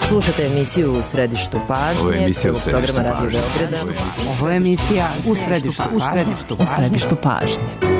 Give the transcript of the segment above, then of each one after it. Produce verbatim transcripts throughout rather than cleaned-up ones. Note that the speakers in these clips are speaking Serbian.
Slušate emisiju U središtu pažnje. Ovo je emisija U središtu pažnje. Ovo je emisija U središtu pažnje. U središtu pažnje.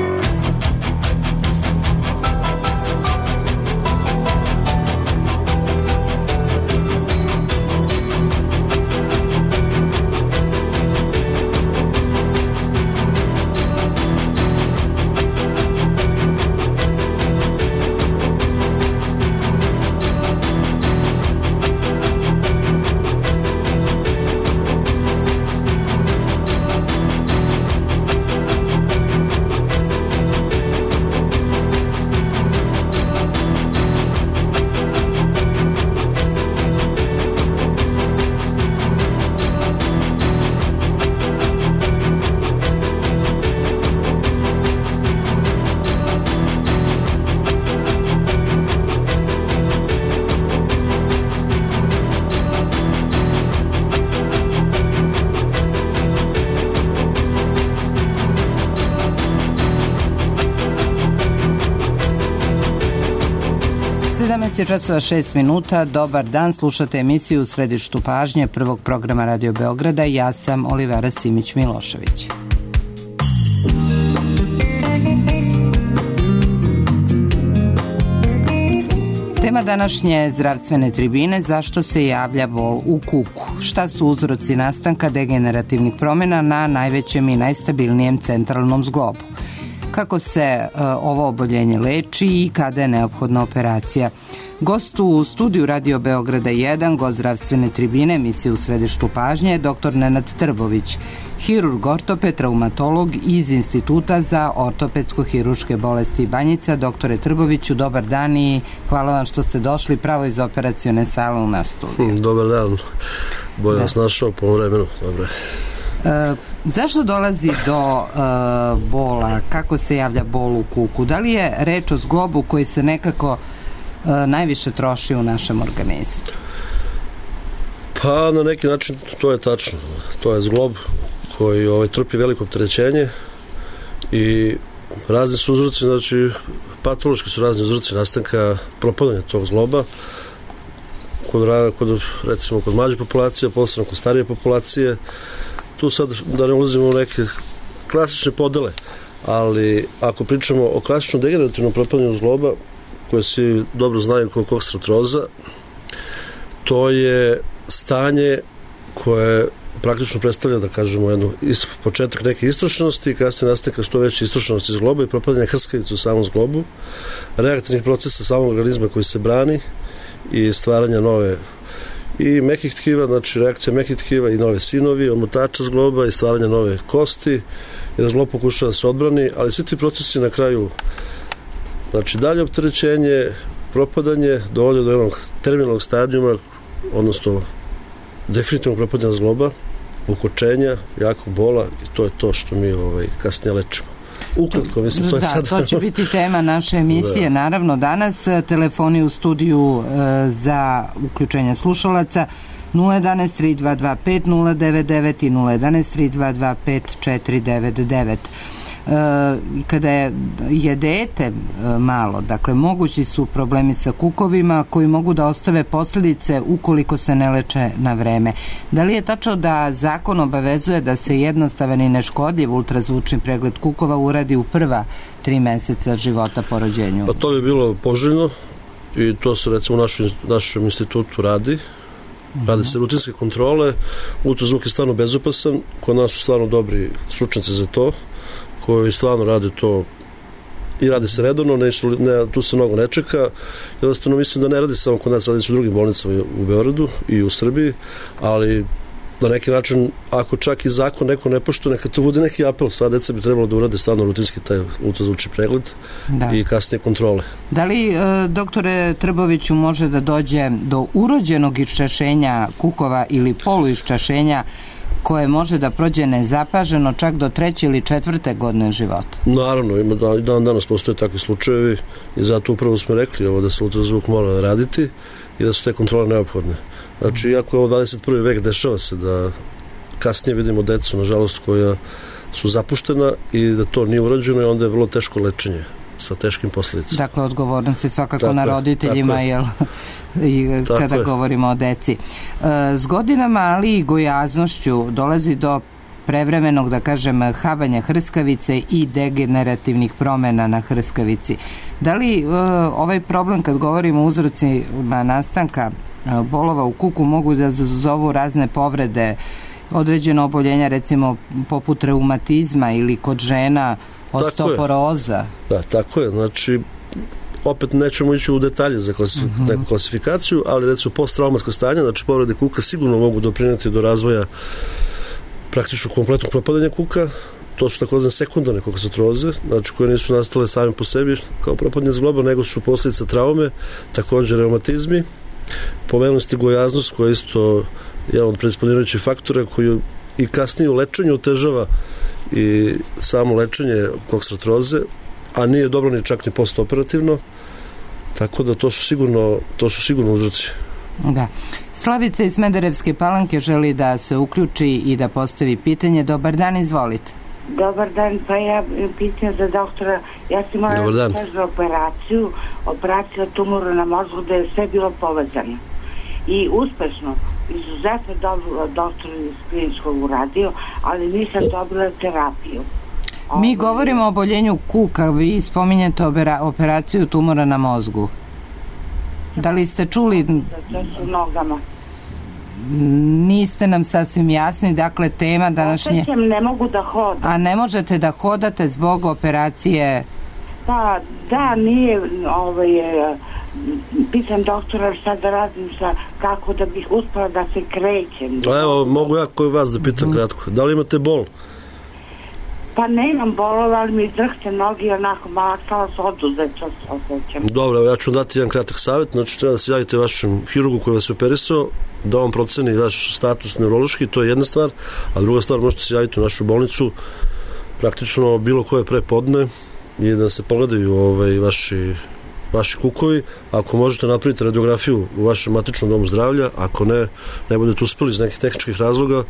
sedamnaest je časova šest minuta. Dobar dan, slušate emisiju U središtu pažnje prvog programa Radio Beograda. Ja sam Olivera Simić-Milošević. Tema današnje zdravstvene tribine: zašto se javlja bol u kuku? Šta su uzroci nastanka degenerativnih promjena na najvećem i najstabilnijem centralnom zglobu? Kako se uh, ovo oboljenje leči i kada je neophodna operacija? Gost u studiju Radio Beograda jedan, gost zdravstvene tribine, emisije U središtu pažnje, je doktor Nenad Trbović, hirurg ortoped, traumatolog iz Instituta za ortopedsko-hiruške bolesti Banjica. Doktore Trboviću, dobar dan i hvala vam što ste došli pravo iz operacione sale u naš studiju. Dobar dan, bolje vas našao po vremenu. Dobre. E, zašto dolazi do e, bola? Kako se javlja bol u kuku? Da li je reč o zglobu koji se nekako e, najviše troši u našem organizmu? Pa na neki način to je tačno. To je zglob koji ovaj, trpi veliko opterećenje i razni su uzroci, znači patološki su razni uzroci nastanka propadanja tog zgloba kod, kod recimo kod mlađe populacije, posebno kod starije populacije. Tu sad da ne ulazimo u neke klasične podele, ali ako pričamo o klasičnom degenerativnom propadanju zgloba, koje svi dobro znaju kao koksartroza, to je stanje koje praktično predstavlja, da kažemo, jednu početak neke istrošenosti, kasnije nastanka što veće istrošenosti zgloba i propadanja hrskavice u samom zglobu, reaktivnih procesa samog organizma koji se brani i stvaranja nove i mekih tkiva, znači reakcija mekih tkiva i nove sinovi, omotača zgloba i stvaranja nove kosti, jer zglob pokušava da se odbrani, ali svi ti procesi na kraju, znači dalje opterećenje, propadanje, dovode do jednog terminalnog stadijuma, odnosno definitivnog propadanja zgloba, ukočenja, jakog bola, i to je to što mi ovaj, kasnije lečimo. Ukratko, mislim, to je da, sad... to će biti tema naše emisije, da. Naravno, danas telefoni u studiju e, za uključenje slušalaca nula jedan tri dva dva pet nula devet devet i nula jedan tri dva dva pet četiri devet devet. E, kada je, je dete e, malo, dakle mogući su problemi sa kukovima koji mogu da ostave posljedice ukoliko se ne leče na vreme. Da li je tačno da zakon obavezuje da se jednostavan i neškodljiv ultrazvučni pregled kukova uradi u prva tri meseca života po rođenju? Pa to bi bilo poželjno i to se recimo u našem, našem institutu radi. Rade se rutinske kontrole, ultrazvuk je stvarno bezopasan, kod nas su stvarno dobri stručnjaci za to, koji stvarno rade to i rade se redovno, ne, ne, tu se mnogo ne čeka. Jednostavno mislim da ne radi samo kod nas, radi se u drugim bolnicama u Beogradu i u Srbiji, ali na neki način, ako čak i zakon neko ne poštuje, neka to bude neki apel, sva deca bi trebalo da urade stvarno rutinski taj ultrazvučni pregled, da. I kasnije kontrole. Da li, e, doktore Trboviću, može da dođe do urođenog iščašenja kukova ili poluiščašenja koje može da prođe nezapaženo čak do treće ili četvrte godine života? Naravno, ima da, dan danas postoje takvi slučajevi i zato upravo smo rekli ovo da se ultrazvuk mora raditi i da su te kontrole neophodne. Znači, iako je ovo dvadeset prvi vek, dešava se da kasnije vidimo decu, nažalost, koja su zapuštena i da to nije urađeno i onda je vrlo teško lečenje. sa teškim posljedicama. Dakle, odgovornost je svakako tako na je, roditeljima, jel, i kada je. govorimo o deci. S godinama, ali i gojaznošću dolazi do prevremenog, da kažem, habanja hrskavice i degenerativnih promjena na hrskavici. Da li uh, ovaj problem, kad govorimo o uzrocima nastanka uh, bolova u kuku, mogu da zazovu razne povrede, određeno oboljenja, recimo poput reumatizma ili kod žena osteoporoza? Da, tako je. Znači, opet nećemo ići u detalje za klasif- uh-huh. neku klasifikaciju, ali recimo posttraumatska stanja, znači povrede kuka sigurno mogu doprinijeti do razvoja praktično kompletnog propadanja kuka. To su takozvane sekundarne kokasatroze, znači koje nisu nastale same po sebi kao propadanje zgloba, nego su posljedica traume, također reumatizmi. Pomenuli ste gojaznost, koja je isto jedan od predisponirajućih faktora koji i kasnije u lečenju otežava i samo lečenje kokasatroze, a nije dobro ni čak ni postoperativno, tako da to su sigurno, to su sigurno uzroci. Da. Slavica iz Smederevske Palanke želi da se uključi i da postavi pitanje. Dobar dan, izvolite. Dobar dan, pa ja pitam za doktora, ja sam morala za operaciju, operacija tumora na mozgu, da je sve bilo povezano. I uspešno, izuzetno dobro doktor iz kliničkog uradio, ali nisam dobila terapiju. Mi govorimo o oboljenju kuka, vi spominjete operaciju tumora na mozgu. Da li ste čuli? To su nogama. Niste nam sasvim jasni, dakle tema današnje... Opećem, ne mogu da hodam. A ne možete da hodate zbog operacije? Pa, da, nije, ovaj, pitam doktora šta da radim, sa, kako da bih uspela da se krećem. Pa evo, mogu ja koji vas da pitam mm-hmm. kratko. Da li imate bol? Pa ne imam bolova, ali mi drhte nogi, onako malakala se oduzeta se osjećam. Dobro, ja ću dati jedan kratak savjet. Znači, treba da se javite vašem hirurgu koji vas je operisao, da on proceni vaš status neurološki, to je jedna stvar, a druga stvar, možete se javiti u našu bolnicu praktično bilo koje prepodne i da se pogledaju ovaj, vaši, vaši kukovi. Ako možete napraviti radiografiju u vašem matičnom domu zdravlja, ako ne, ne budete uspeli iz nekih tehničkih razloga,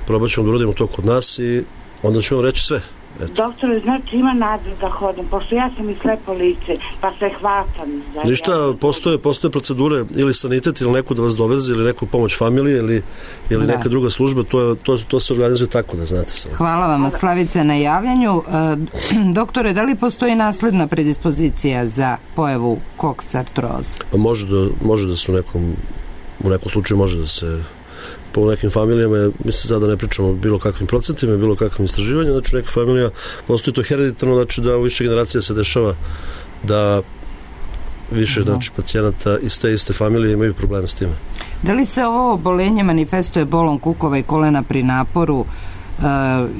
probat ćemo da uradimo to kod nas i onda ću vam reći sve. Eto. Doktore, znači ima nadu da hodam, pošto ja sam i slepo lice, pa se hvatam. Ništa, postoje, postoje procedure, ili sanitet, ili neko da vas doveze, ili neku pomoć familije, ili, ili neka druga služba, to, je, to, to se organizuje tako, da znate sam. Hvala vam, Slavice, na javljanju. E, doktore, da li postoji nasledna predispozicija za pojavu koksartroze? Pa može da, može da se u nekom, u nekom slučaju može da se po nekim familijama, mislim sada ne pričamo o bilo kakvim procentima, bilo kakvim istraživanjima, znači neka familija, postoji to hereditarno, znači da u više generacija se dešava da više uh-huh. znači, pacijenata iz te iste familije imaju probleme s time. Da li se ovo obolenje manifestuje bolom kukova i kolena pri naporu uh,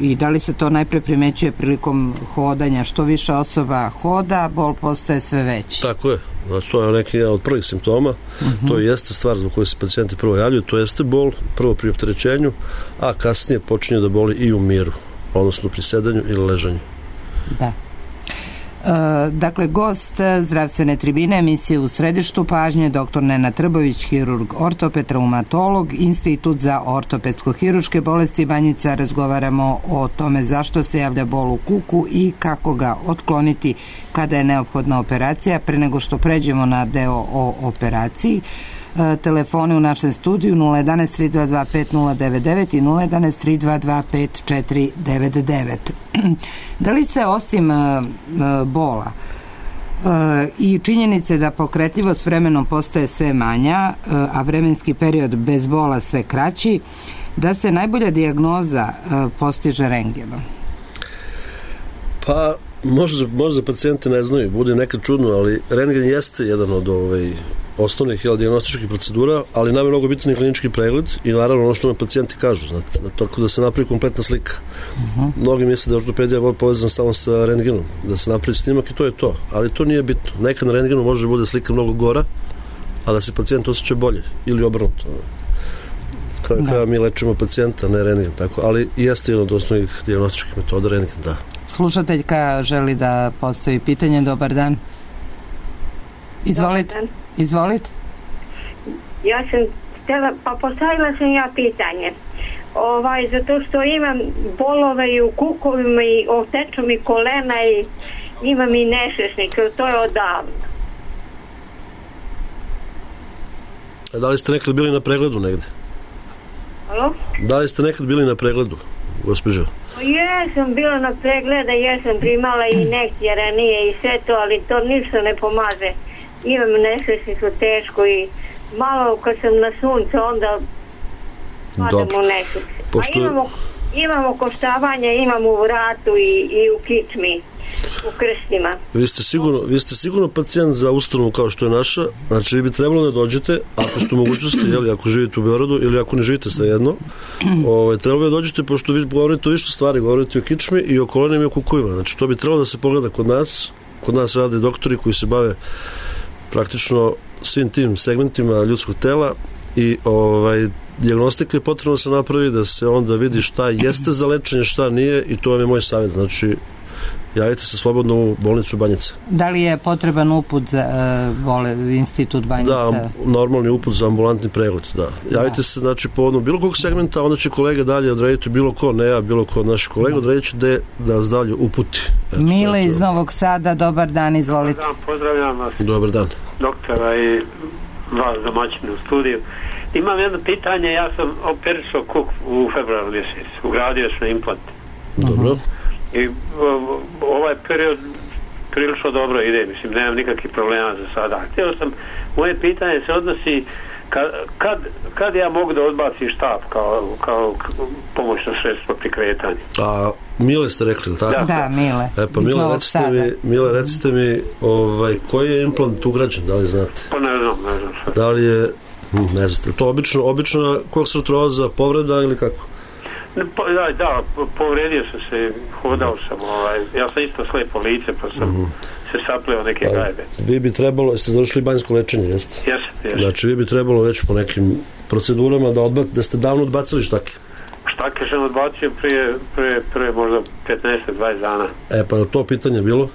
i da li se to najpre primećuje prilikom hodanja? Što više osoba hoda, bol postaje sve veći. Tako je. Znači, to je neki od prvih simptoma, uh-huh. to jeste stvar zbog koje se pacijenti prvo javljaju, to jeste bol, prvo pri opterećenju, a kasnije počinje da boli i u miru, odnosno pri sedanju ili ležanju. Da. E, dakle, gost zdravstvene tribine emisije U središtu pažnje, doktor Nenad Trbović, hirurg, ortoped, traumatolog, Institut za ortopedsko-hiruške bolesti Banjica. Razgovaramo o tome zašto se javlja bol u kuku i kako ga otkloniti kada je neophodna operacija. Pre nego što pređemo na deo o operaciji, e, telefone u našem studiju nula jedan tri dva dva pet nula devet devet i nula jedan tri dva dva pet četiri devet devet. Da li se osim e, bola e, i činjenice da pokretljivost vremenom postaje sve manja, e, a vremenski period bez bola sve kraći, da se najbolja dijagnoza e, postiže rentgenom? Pa možda, možda pacijenti ne znaju, bude nekad čudno, ali rentgen jeste jedan od ovaj, osnovnih jel, dijagnostičkih procedura, ali nam je mnogo bitan i klinički pregled i naravno ono što nam pacijenti kažu, znate, tako da se napravi kompletna slika. Uh-huh. Mnogi misle da je ortopedija povezana samo sa rentgenom, da se napravi snimak i to je to, ali to nije bitno. Nekad na rentgenu može da bude slika mnogo gora, a da se pacijent osjeća bolje ili obrnuto. Kao da mi lečimo pacijenta, ne rentgen, tako, ali jeste jedan od osnovnih dijagnostičkih metoda rentgen, da. Slušateljka želi da postavi pitanje. Dobar dan. Izvolite. Dobar dan. Izvolite. Ja sam htjela, pa postavila sam ja pitanje. Ovaj, zato što imam bolove i u kukovima i otečno mi kolena i, imam i nešešnik, to je odavno. A da li ste nekad bili na pregledu negde? Alo? Da li ste nekad bili na pregledu, gospođo? Jesam bila na pregleda, jesam primala i injekcije ranije i sve to, ali to ništa ne pomaže. Imam nešešnicu teško i malo kad sam na suncu onda padam u nešešnicu. Pošto... A imamo, imamo koštavanje, imamo u vratu i, i u kičmi, u krstima. Vi ste sigurno, vi ste sigurno pacijent za ustanovu kao što je naša, znači vi bi trebalo da dođete, ako ste u mogućnosti, jeli, ako živite u Beogradu ili ako ne živite svejedno, ovaj, trebalo bi da dođete, pošto vi govorite o više stvari, govorite o kičmi i o kolenima i o kukovima, znači to bi trebalo da se pogleda kod nas, kod nas rade doktori koji se bave praktično svim tim segmentima ljudskog tela i ovaj, dijagnostika je potrebno da se napravi, da se onda vidi šta jeste za lečenje, šta nije i to vam je moj savjet, znači javite se slobodno u bolnicu Banjica. Da li je potreban uput za uh, bole, institut Banjica? Da, normalni uput za ambulantni pregled, da. Javite da. se, znači, po odnom bilo kog segmenta, onda će kolege dalje odrediti, bilo ko, ne ja, bilo ko od naših kolega, odredit će da, da nas dalje uputi. Eto, Mile iz Novog Sada, dobar dan, izvolite. Dobar dan, pozdravljam vas. Dobar dan. Doktora i vas domaćine u studiju. Imam jedno pitanje, ja sam operisao kuk u februaru mjesecu, ugradio sam implant. Dobro. Uh-huh. I ovaj period prilično dobro ide, mislim, nemam nikakvih problema za sada. Htio sam, moje pitanje se odnosi kad, kad, kad ja mogu da odbacim štap kao, kao pomoćno sredstvo pri kretanju. A Mile ste rekli, tako? Da, da, Mile. E pa Mile, recite mi, Mile, recite mi ovaj, koji je implant ugrađen, da li znate? Pa ne znam, ne znam što. Da li je, ne znate, to obično, obično koksartroza, povreda ili kako? Da, da, povredio sam se, hodao sam, ovaj, ja sam isto slepo lice, pa sam mm-hmm. se sapleo neke pa, gajbe. Vi bi trebalo, jeste završili banjsko lečenje, jeste? Jesam, jesam. Znači, vi bi trebalo već po nekim procedurama da, odbac, da ste davno odbacili štake. Štake sam odbacio prije, prije, prije možda petnaest do dvadeset dana. E, pa to pitanje bilo?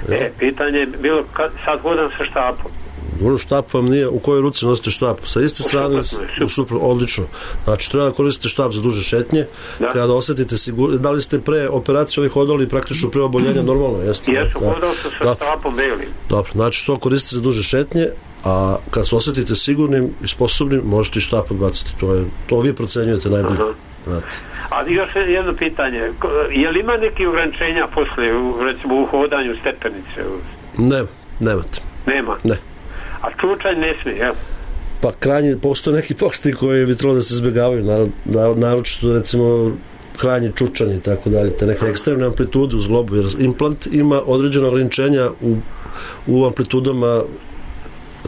E, ja. pitanje je bilo, kad, sad hodam sa štapom. Dobro, štap vam nije, u kojoj ruci nosite štap? Sa iste strane, u supru, odlično. Znači, treba da koristite štap za duže šetnje, da. Kada osetite sigurno, da li ste pre operacije ovih hodali praktično pre oboljenja normalno, jeste? Jesu, da. hodao sam sa štapom belim. Dobro, znači to koristite za duže šetnje, a kad se osetite sigurnim i sposobnim, možete i štap odbaciti. To, je, to vi procenjujete najbolje. Znate. A još jedno pitanje, je li ima neki ograničenja posle, recimo u hodanju stepenice? Ne, nemate. Nema? Ne. A slučaj ne smije, jel? Pa krajnje, postoje neki pokreti koji bi trebalo da se izbjegavaju, naročito, naročito recimo krajnji čučani i tako dalje, te neke ekstremne amplitude u zglobu, jer implant ima određena ograničenja u, u amplitudama,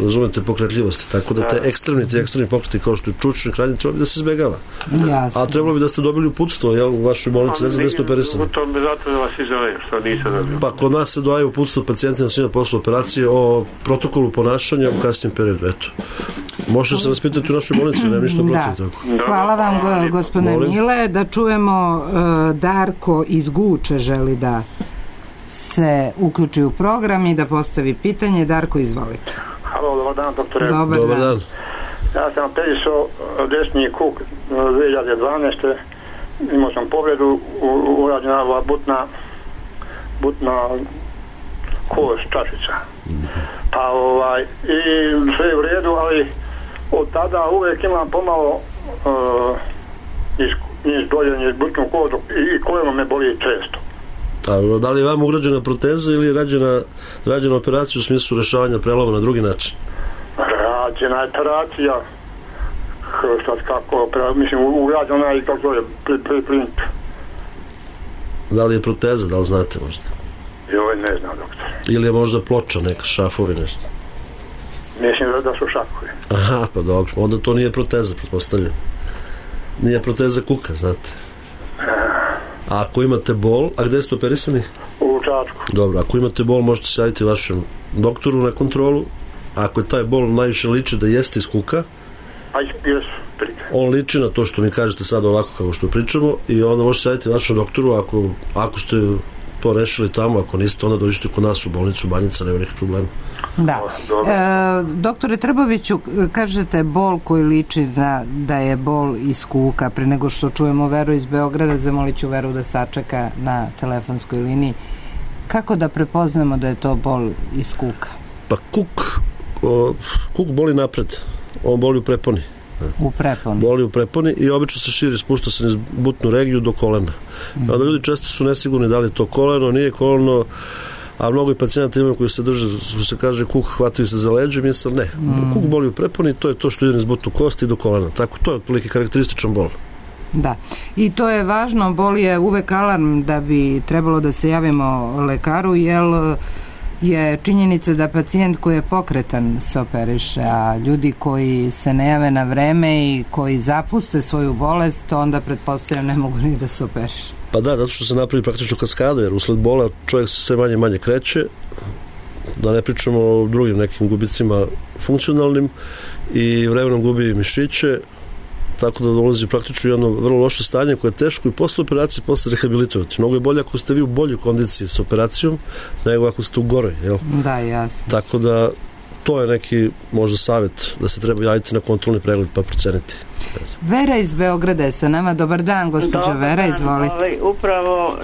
razumete, pokretljivosti, tako da te ekstremni, te ekstremni pokreti kao što je čučni krajnji treba bi da se izbjegava. Jasne. A trebalo bi da ste dobili uputstvo, jel, u vašoj bolnici, ne znam da ste operisani. U tom zato da vas izovem, što nisam dobio. Pa kod nas se daju uputstvo pacijentima svima posle operacije o protokolu ponašanja u kasnijem periodu, eto. Možete se raspitati u našoj bolnici, nema ništa protiv da. Tako. Hvala vam, go, gospodine Mile. Da čujemo, uh, Darko iz Guče želi da se uključi u program i da postavi pitanje. Darko, izvolite. Halo, dobar dan, doktore. Dobar, dobar dan. Ja sam operisao desni kuk dvije hiljade dvanaeste. Imao sam povredu, urađena ova butna butna kost, čašica. Pa ovaj, i sve je u redu, ali od tada uvijek imam pomalo uh, niz dolje, niz butnu kožu i koljeno me boli često. A da li je vam ugrađena proteza ili je rađena, rađena operacija u smislu rešavanja preloma na drugi način? Rađena je operacija, šta kako, mislim, ugrađena je kako je pri, pri, print. Da li je proteza, da li znate možda? Joj, ne znam, doktor. Ili je možda ploča, neka šafovi, nešto? Mislim da, da su šafovi. Aha, pa dobro, onda to nije proteza, pretpostavljam. Nije proteza kuka, znate. A ako imate bol, a gde ste operisani? U Čačku. Dobro, ako imate bol, možete se javiti vašem doktoru na kontrolu. Ako je taj bol najviše liči da jeste iz kuka, a jesu, on liči na to što mi kažete sad ovako kako što pričamo i onda možete se javiti vašem doktoru ako, ako ste to rešili tamo, ako niste, onda dođete kod nas u bolnicu Banjica, nema nekih problema. Da. E, doktore Trboviću, kažete bol koji liči na, da je bol iz kuka. Pre nego što čujemo Veru iz Beograda, zamolit ću Veru da sačeka na telefonskoj liniji. Kako da prepoznamo da je to bol iz kuka? Pa kuk, o, kuk boli napred, on boli u preponi. U preponi. Boli u preponi i obično se širi, spušta se niz butnu regiju do kolena. Mm. Onda ljudi često su nesigurni da li je to koleno, nije koleno, a mnogo i pacijenta imaju koji se drže, što se kaže kuk, hvataju se za leđe, misle ne. Mm. Kuk boli u preponi, to je to što ide niz butnu kosti i do kolena. Tako, to je otprilike karakterističan bol. Da, i to je važno, bol je uvek alarm da bi trebalo da se javimo lekaru, jer je činjenica da pacijent koji je pokretan se operiše, a ljudi koji se ne jave na vreme i koji zapuste svoju bolest, onda pretpostavljam ne mogu ni da se operiše. Pa da, zato što se napravi praktično kaskada, jer usled bola čovjek se sve manje manje kreće, da ne pričamo o drugim nekim gubicima funkcionalnim, i vremenom gubi mišiće, tako da dolazi praktično jedno vrlo loše stanje koje je teško i posle operacije posle rehabilitovati. Mnogo je bolje ako ste vi u boljoj kondiciji sa operacijom nego ako ste u goroj, jel? Da, jasno. Tako da to je neki možda savjet da se treba javiti na kontrolni pregled pa proceniti. Vera iz Beograda je sa nama. Dobar dan, gospođo Vera, izvolite. Ovaj, upravo,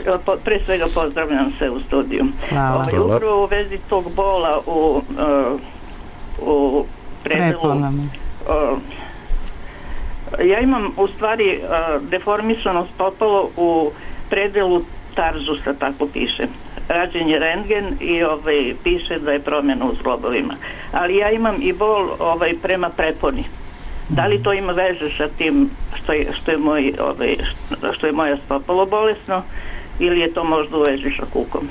pre svega pozdravljam se u studiju. Hvala. Ovaj, upravo u vezi tog bola u, uh, u predelu... Uh, ja imam u stvari uh, deformisano stopalo u predelu tarzusa, tako piše. Rađen je rentgen i ovaj, piše da je promjena u zglobovima. Ali ja imam i bol ovaj, prema preponi. Da li to ima veze sa tim što je, što je, moj, ovaj, što je moja stopalo bolesno, ili je to možda u vezi sa kukom?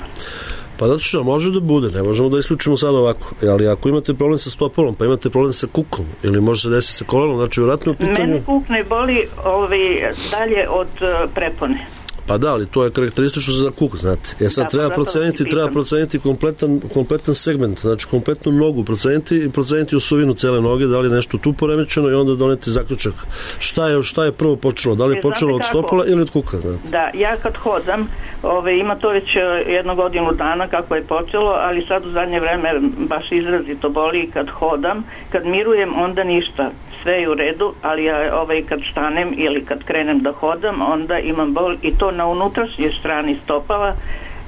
Pa zato što može da bude, ne možemo da isključimo sad ovako, ali ako imate problem sa stopalom, pa imate problem sa kukom, ili može se desiti sa kolenom, znači vjerojatno u pitanju... Meni kuk ne boli ovaj, dalje od uh, prepone. Pa da, ali to je karakteristično za kuk, znate. Ja sad da, treba proceniti, treba proceniti kompletan, kompletan segment, znači kompletnu nogu proceniti i proceniti osovinu cele noge, da li je nešto tu poremećeno i onda doneti zaključak. Šta je, šta je prvo počelo? Da li je e, počelo od stopala ili od kuka, znate? Da, ja kad hodam, ove, ima to već jednu godinu dana kako je počelo, ali sad u zadnje vreme baš izrazito boli kad hodam, kad mirujem, onda ništa. Sve je u redu, ali ja ovaj, kad stanem ili kad krenem da hodam, onda imam bol i to na unutrašnjoj strani stopala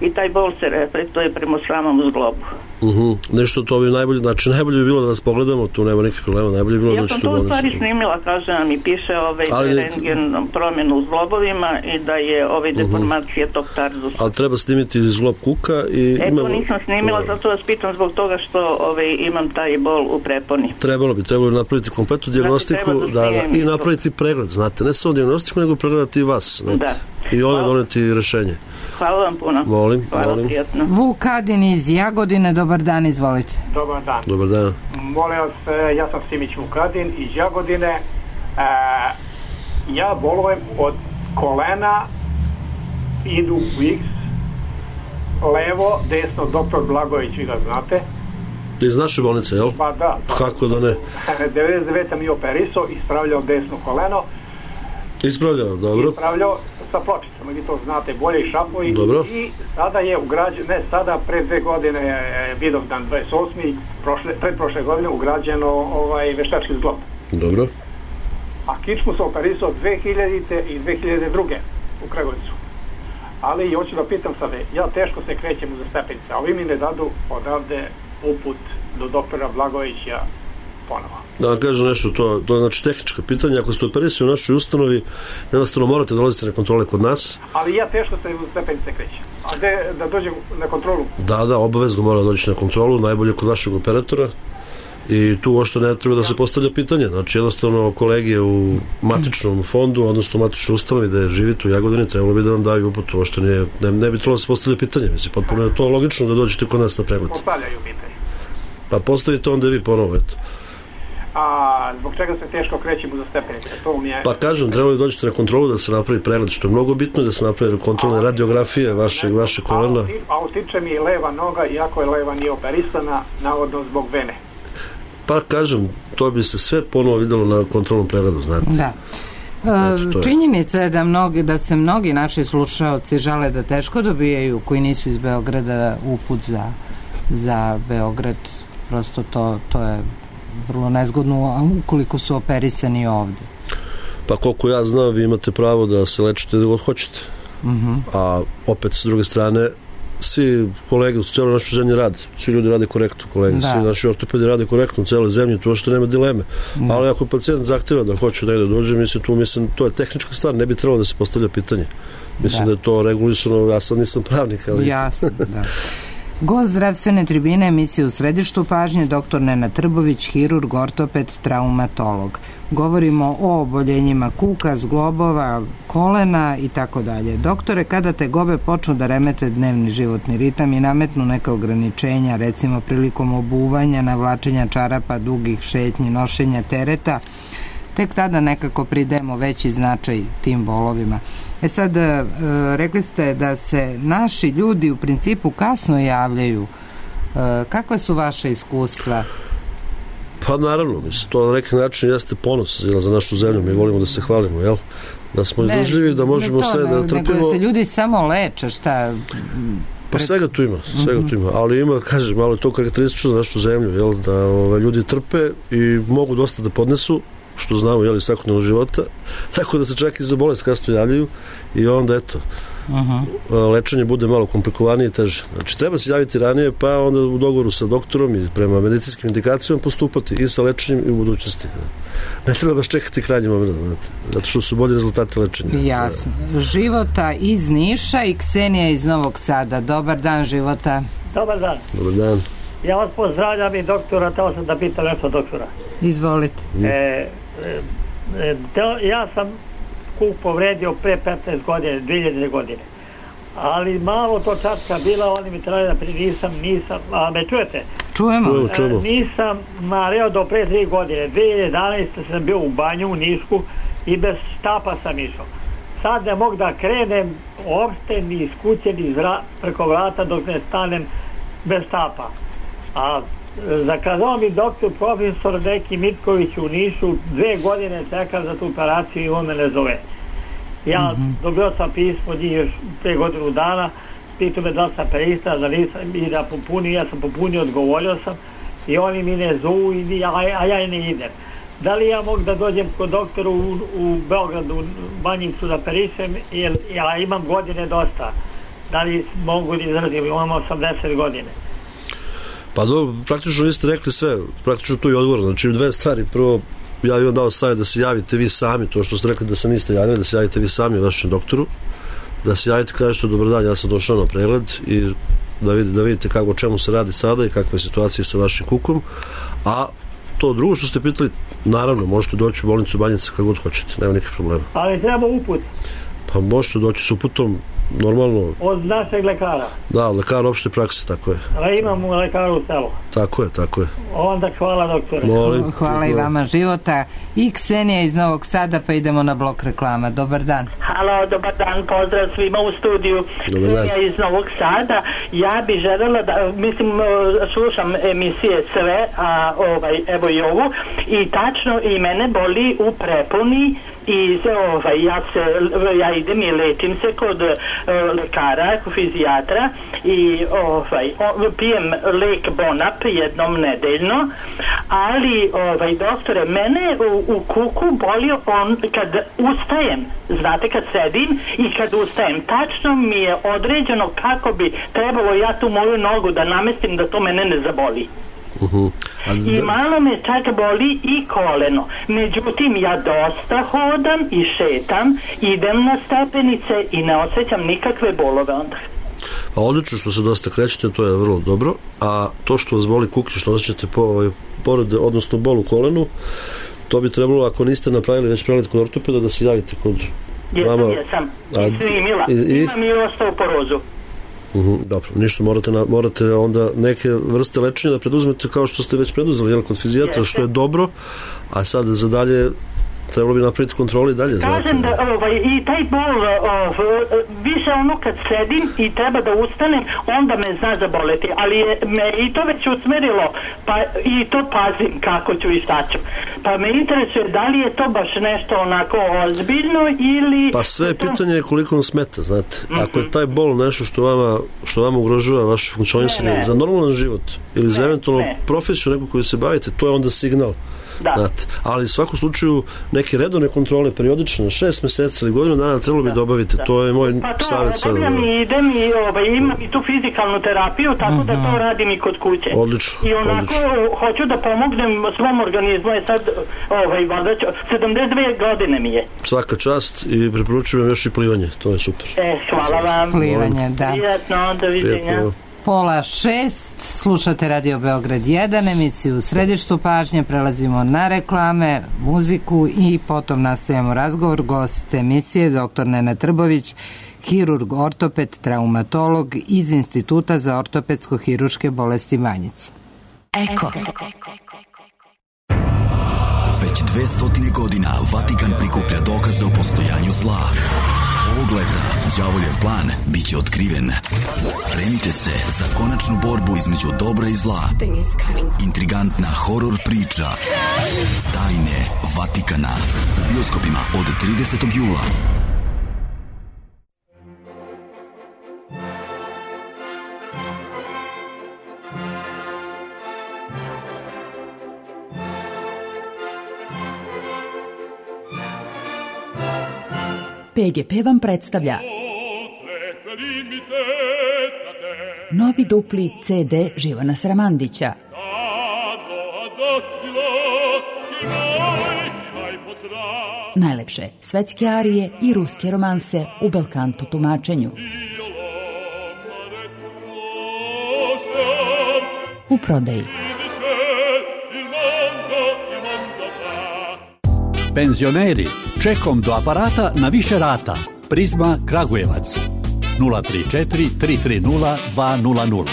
i taj bol se reflektuje prema samom zglobu. Uh-huh. Nešto to bi najbolje, znači najbolje bi bilo da vas pogledamo, tu nema nikakvih problema, najbolje bi bilo ja da sam to u stvari snimila, kažem, mi piše ovaj, ali, rentgen promjenu u zglobovima i da je ovaj deformacija uh-huh. tog tarzusa. Ali treba snimiti zglob kuka i... Eto, imamo... nisam snimila, uh, zato vas pitam zbog toga što ovaj, imam taj bol u preponi. Trebalo bi, trebalo bi napraviti kompletnu dijagnostiku, znači, da, da, i napraviti pregled, znate, ne samo dijagnostiku, nego pregledati i vas, znate. Da. I onda doneti rešenje. Hvala vam puno. Molim, Hvala molim. Prijatno. Vuk Kadin iz Jagodine, dobar dan, izvolite. Dobar dan. Dobar dan. Molim vas, ja sam Simić Vukadin iz Jagodine. E, ja bolujem od kolena, idu u X, levo, desno, doktor Blagović, vi ga znate. Iz naše bolnice, jel? Pa da. Kako da ne? devedeset devete mi je operisao, ispravljao desno koleno. Ispravljao, dobro. Ispravljao sa pločicama, vi to znate, bolje i šapovi. Dobro. I sada je ugrađeno, ne sada, pre dve godine je Vidovdan dvadeset osmi prošle, pred prošle godine ugrađeno ovaj, veštački zglob. Dobro. A kičmu sam operisao dve hiljadite i dve hiljade druge u Kragovicu. Ali i hoću da pitam sada, ja teško se krećem uza stepenice, a ovi mi ne dadu odavde uput do doktora Blagovića ponovo. Da vam kažem nešto, to, to je znači tehnička pitanja. Ako ste operisali u našoj ustanovi, jednostavno morate dolaziti na kontrole kod nas. Ali ja teško se u stepenice krećem. A gde da dođem na kontrolu? Da, da, obavezno mora doći na kontrolu, najbolje kod vašeg operatora. I tu uopšte ne treba da se postavlja pitanje. Znači jednostavno kolege u matičnom fondu, odnosno u matičnoj ustanovi da živite u Jagodini, trebalo bi da vam daju uput. Uopšte ne, ne, ne bi trebalo da se postavlja pitanje. Mislim, potpuno je to logično da dođete kod nas na pregled. Postavljaju pitanje. Pa postavite onda vi ponovo, eto. A zbog čega se teško krećemo za stepenice? To mi je... Pa kažem, trebalo bi dođete na kontrolu da se napravi pregled, što je mnogo bitno, da se napravi kontrolne radiografije vaše, vaše kolena. A utiče mi leva noga, iako je leva nije operisana, navodno zbog vene. Pa kažem, to bi se sve ponovo videlo na kontrolnom pregledu, znate. Da. E, činjenica je da, mnogi, da se mnogi naši slušaoci žale da teško dobijaju, koji nisu iz Beograda, uput za, za Beograd. Prosto to, to je vrlo nezgodno ukoliko su operisani ovde. Pa koliko ja znam, vi imate pravo da se lečite da god hoćete. Uh-huh. A opet s druge strane svi kolege u cijeloj našoj zemlji rade, svi ljudi rade korektno, kolege, da. Svi naši ortopedi rade korektno u cijeloj zemlji, to što nema dileme. Da. Ali ako pacijent zahtjeva da hoće da dođe, mislim, tu, mislim, to je tehnička stvar, ne bi trebalo da se postavlja pitanje. Mislim da, da je to regulisano, ja sad nisam pravnik, ali... Jasno, da. Gost zdravstvene tribine emisije u središtu pažnje doktor Nenad Trbović, hirurg, ortoped, traumatolog. Govorimo o oboljenjima kuka, zglobova, kolena i tako dalje. Doktore, kada tegobe počnu da remete dnevni životni ritam i nametnu neka ograničenja, recimo prilikom obuvanja, navlačenja čarapa, dugih šetnji, nošenja tereta, tek tada nekako pridajemo veći značaj tim bolovima. E sad, rekli ste da se naši ljudi u principu kasno javljaju. Kakve su vaše iskustva? Pa naravno, mislim, to na neki način jeste ponos za našu zemlju, mi volimo da se hvalimo, jel? Da smo izdržljivi, da možemo to, sve da trpimo. Nego se ljudi samo leče, šta... Pa svega tu ima, svega tu ima, ali ima, kažem, malo je to karakteristično za našu zemlju, jel? Da ove, ljudi trpe i mogu dosta da podnesu, što znamo, jel, iz svakodnevnog života, tako da se čak i za bolest kasno javljaju i onda, eto, uh-huh. lečenje bude malo komplikovanije i teže. Znači, treba se javiti ranije, pa onda u dogovoru sa doktorom i prema medicinskim indikacijama postupati i sa lečenjem i u budućnosti. Ne treba baš čekati krajnji moment, znate, zato što su bolji rezultati lečenja. Jasno. Života iz Niša i Ksenija iz Novog Sada. Dobar dan, Života. Dobar dan. Dobar dan. Ja vas pozdravljam i doktora, teo sam da pitam nešto doktora. Izvolite. E, e, e, to, ja sam kuk povredio pre petnaest godine, dve hiljade godine. Ali malo to čatka bila, oni mi trebali da pri nisam, nisam, a me čujete? Čujemo. Čujemo, čujemo. E, nisam mareo do pre tri godine. dve hiljade jedanaeste sam bio u banju u Nišku i bez štapa sam išao. Sad ne mogu da krenem uopšte ni iz kuće, ni vra, preko vrata dok ne stanem bez štapa. A zakazao mi doktor profesor neki Mitković u Nišu, dve godine čekam za tu operaciju i on me ne zove. Ja mm-hmm. dobio sam pismo njih još pre godinu dana, pitao me da sam pristao, da nisam i da popunim, ja sam popunio, odgovorio sam i oni mi ne zovu, a, a ja i ne idem. Da li ja mogu da dođem kod doktora u, u Beogradu, u Banjicu da perišem, jer ja imam godine dosta. Da li mogu da izrazim, imam osamdeset godine. Pa do, praktično vi ste rekli sve, praktično tu i odgovor, znači dve stvari. Prvo, ja bih vam dao savjet da se javite vi sami, to što ste rekli da se niste javili, da se javite vi sami vašem doktoru, da se javite, kažete dobar dan, ja sam došao na pregled i da vidite, da vidite kako, o čemu se radi sada i kakva je situacija sa vašim kukom. A to drugo što ste pitali, naravno, možete doći u bolnicu Banjica kako god hoćete, nema nikakvih problema. Ali treba uput. Pa možete doći s uputom, normalno. Od našeg lekara? Da, lekar opšte prakse, tako je. Ali imam u lekaru u selu. Tako je, tako je. Onda hvala doktore. Molim. Hvala i vama, Života. I Ksenija iz Novog Sada, pa idemo na blok reklama. Dobar dan. Halo, dobar dan, pozdrav svima u studiju. Ksenija iz Novog Sada. Ja bi željela da, mislim, slušam emisije sve, a ovaj, evo i ovu, i tačno i mene boli u preponi i ovaj, ja, se, ja idem i lečim se kod uh, lekara, kod fizijatra i ovaj, o, pijem lek Bonap jednom nedeljno, ali ovaj, doktore, mene u, u kuku boli on kad ustajem, znate, kad sedim i kad ustajem, tačno mi je određeno kako bi trebalo ja tu moju nogu da namestim da to mene ne zaboli. Uh-huh. I malo me čak boli i koleno. Međutim, ja dosta hodam i šetam, idem na stepenice i ne osjećam nikakve bolove onda. A odlično što se dosta krećete, to je vrlo dobro. A to što vas boli kuk, što osjećate po, ovaj, pored, odnosno bol u kolenu, to bi trebalo, ako niste napravili već pregled kod ortopeda, da se javite kod jesam, vama. Jesam, jesam. I snimila. I, i... Imam i osteoporozu. Uh-huh, dobro, ništa, morate, na, morate onda neke vrste lečenja da preduzmete kao što ste već preduzeli, jel, kod fizijatra, što je dobro, a sad za dalje trebalo bi napraviti kontroli i dalje. Kažem da ovaj, i taj bol ov, više ono kad sedim i treba da ustanem, onda me zna zaboleti, ali je me i to već usmerilo, pa i to pazim kako ću i šta ću. Pa me interesuje da li je to baš nešto onako ozbiljno ili... Pa sve je pitanje koliko vam smeta, znate. Mm-hmm. Ako je taj bol nešto što vama, što vama ugrožava vaše funkcionisanje za normalan život ili ne, za eventualno ne. profesiju neku koju se bavite, to je onda signal Da. Znate, ali u svakom slučaju neke redovne kontrole periodično, šest meseci ili godinu dana trebalo bi da obavite. Da. To je moj pa to, savjet. Pa to i idem i ovaj, imam i tu fizikalnu terapiju, tako uh-huh. da to radim i kod kuće. Odlično. I onako odlično. Hoću da pomognem svom organizmu, je sad ovaj, sedamdeset dve godine mi je. Svaka čast i preporučujem još i plivanje, to je super. E, hvala vam. Plivanje, da. Prijatno, doviđenja. Prijatno. Pola šest, slušate Radio Beograd jedan, emisiju u središtu pažnje, prelazimo na reklame, muziku i potom nastavljamo razgovor. Gost emisije doktor Nenad Trbović, hirurg, ortoped, traumatolog iz Instituta za ortopedsko-hiruške bolesti Banjica. Eko. Već dve stotine godina Vatikan prikuplja dokaze o postojanju zla. Ovog leta đavoljev plan bit će otkriven. Spremite se za konačnu borbu između dobra i zla. Intrigantna horor priča Tajne Vatikana u bioskopima od tridesetog jula. P G P vam predstavlja novi dupli C D Živana Sramandića. Najlepše svetske arije i ruske romanse u belkanto tumačenju. U prodaji. Penzioneri, čekom do aparata na više rata. Prizma Kragujevac nula tri četiri tri tri nula dva nula nula.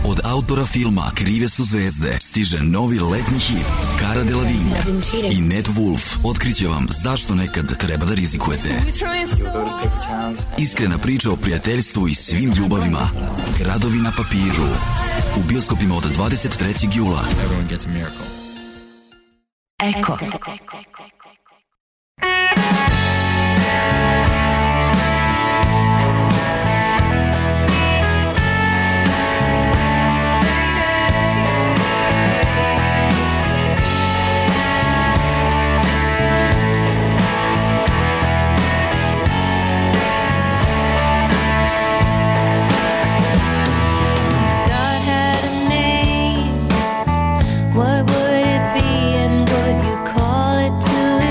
Od autora filma Krive su zvezde stiže novi letnji hit Cara Delevingne i Ned Wolf otkriće vam zašto nekad treba da rizikujete. Iskrena priča o prijateljstvu i svim ljubavima. Gradovi na papiru. U bioskopima od dvadeset trećeg jula. Eko. What would it be and would you call it to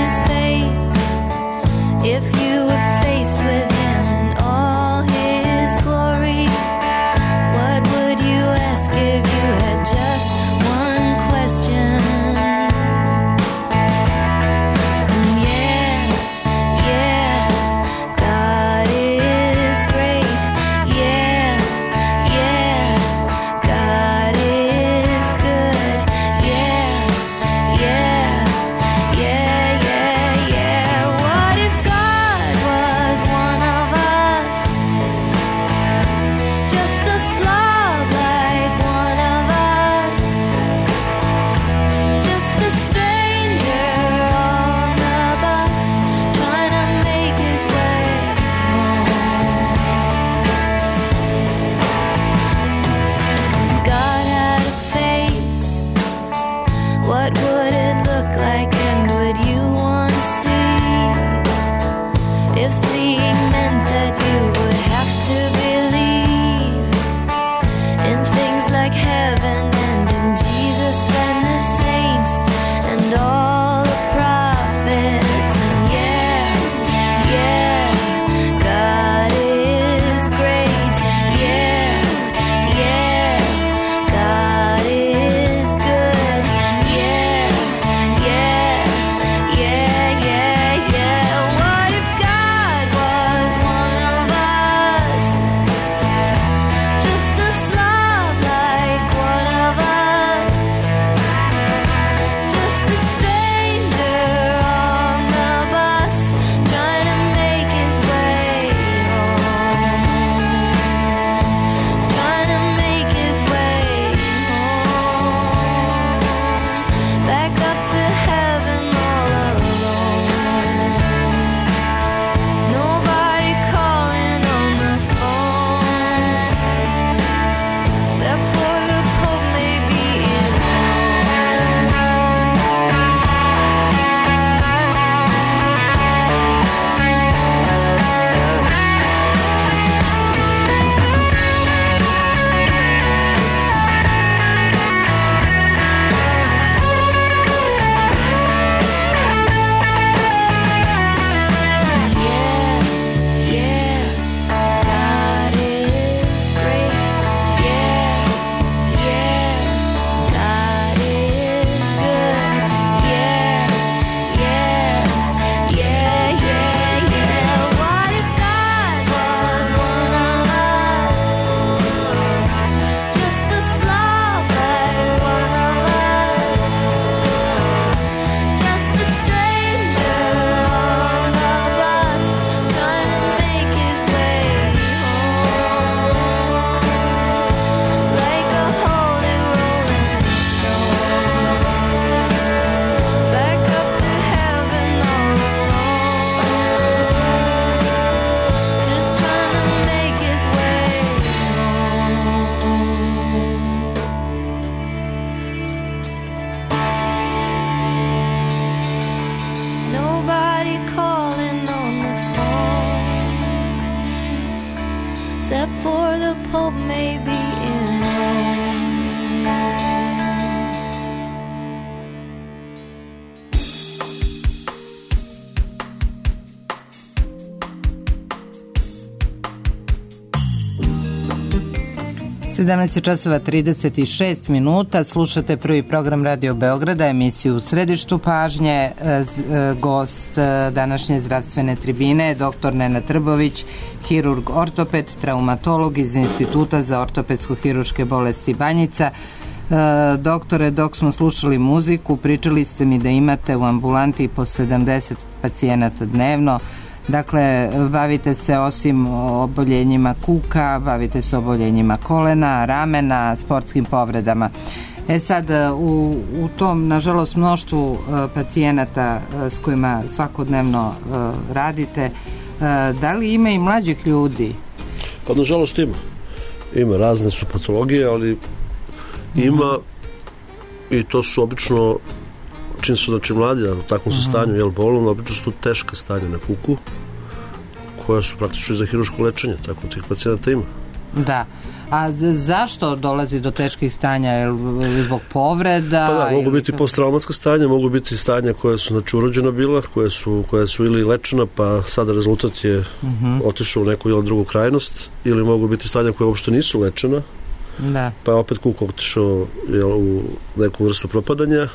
for the Pope may be in Rome. sedamnaest časova trideset šest minuta, slušate prvi program Radio Beograda, emisiju U središtu pažnje. Gost današnje zdravstvene tribine je doktor Nenad Trbović, hirurg ortoped, traumatolog iz Instituta za ortopedsko-hiruške bolesti Banjica. Doktore, dok smo slušali muziku, pričali ste mi da imate u ambulanti po sedamdeset pacijenata dnevno. Dakle, bavite se osim oboljenjima kuka, bavite se oboljenjima kolena, ramena, sportskim povredama. E sad, u, u tom, nažalost, mnoštvu pacijenata s kojima svakodnevno radite, da li ima i mlađih ljudi? Pa, nažalost, ima. Ima, razne su patologije, ali ima i to su obično, čim su znači mladi, u takvom su stanju, jel, bolom, obično su teška stanja na kuku, koja su praktično za hiruško lečenje, tako tih pacijenata ima. Da. A zašto dolazi do teških stanja? Zbog povreda? Pa da, mogu biti posttraumatska stanja, mogu biti stanja koje su znači urođena bila, koje su, koje su ili lečena, pa sada rezultat je uh-huh. otišao u neku ili drugu krajnost, ili mogu biti stanja koje uopšte nisu lečena, da. Pa je opet kuk otišao jel, u neku vrstu propadanja.